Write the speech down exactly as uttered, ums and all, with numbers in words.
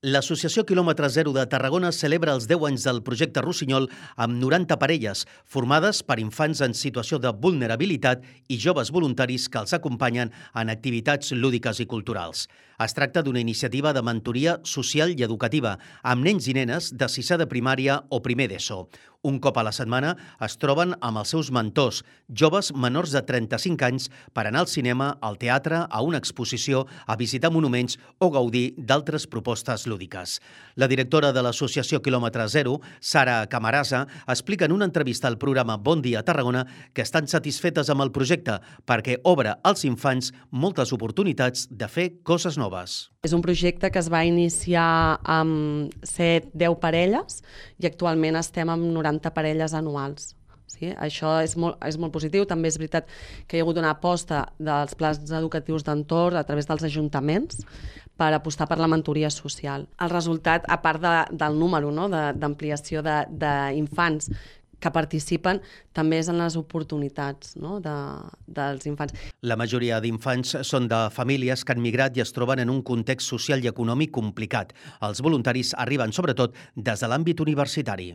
L'Associació Quilòmetre Zero de Tarragona celebra els deu anys del projecte Rossinyol amb noranta parelles, formades per infants en situació de vulnerabilitat i joves voluntaris que els acompanyen en activitats lúdiques i culturals. Es tracta d'una iniciativa de mentoria social i educativa, amb nens i nenes de sisè de primària o primer d'ESO. Un cop a la setmana es troben amb els seus mentors, joves menors de trenta-cinc anys, per anar al cinema, al teatre, a una exposició, a visitar monuments o gaudir d'altres propostes lúdiques. La directora de l'Associació Quilòmetre Zero, Sara Camarasa, explica en una entrevista al programa Bon Dia Tarragona que estan satisfetes amb el projecte perquè obre als infants moltes oportunitats de fer coses noves. És un projecte que es va iniciar amb set deu parelles i actualment estem amb noranta parelles anuals. Sí, això és molt, és molt positiu. També és veritat que hi ha hagut una aposta dels plans educatius d'entorn a través dels ajuntaments per apostar per la mentoria social. El resultat, a part de, del número, no, d'ampliació de, d'infants que participen, també és en les oportunitats, no, de, dels infants. La majoria d'infants són de famílies que han migrat i es troben en un context social i econòmic complicat. Els voluntaris arriben sobretot des de l'àmbit universitari.